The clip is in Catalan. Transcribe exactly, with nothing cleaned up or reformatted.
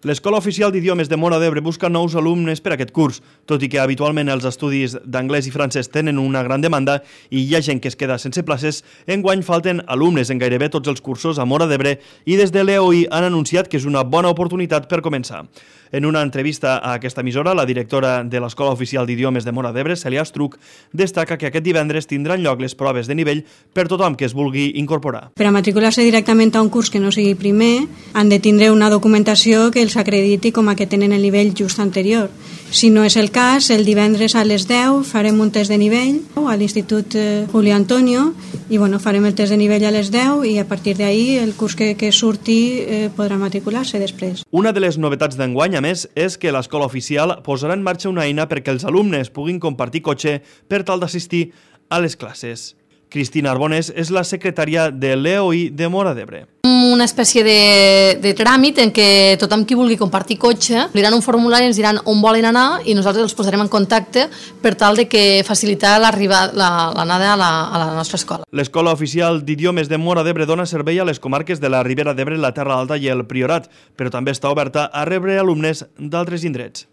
L'Escola Oficial d'Idiomes de Móra d'Ebre busca nous alumnes per a aquest curs. Tot i que habitualment els estudis d'anglès i francès tenen una gran demanda i hi ha gent que es queda sense places, enguany falten alumnes en gairebé tots els cursos a Móra d'Ebre i des de l'E O I han anunciat que és una bona oportunitat per començar. En una entrevista a aquesta emissora, la directora de l'Escola Oficial d'Idiomes de Móra d'Ebre, Cèlia Estruc, destaca que aquest divendres tindran lloc les proves de nivell per tothom que es vulgui incorporar. Per a matricular-se directament a un curs que no sigui primer, han de tindre una documentació que els acrediti com a que tenen el nivell just anterior. Si no és el cas, el divendres a les deu farem un test de nivell a l'Institut Julio Antonio i bueno, farem el test de nivell a les deu i a partir d'ahí el curs que, que surti eh, podrà matricular-se després. Una de les novetats d'enguany, a més, és que l'Escola Oficial posarà en marxa una eina perquè els alumnes puguin compartir cotxe per tal d'assistir a les classes. Cristina Arbonés és la secretària de l'E O I de Móra d'Ebre. Una espècie de, de tràmit en què tothom qui vulgui compartir cotxe diran un formulari i ens diran on volen anar i nosaltres els posarem en contacte per tal de que facilitar l'anada a, la, a la nostra escola. L'Escola Oficial d'Idiomes de Móra d'Ebre dona servei a les comarques de la Ribera d'Ebre, la Terra Alta i el Priorat, però també està oberta a rebre alumnes d'altres indrets.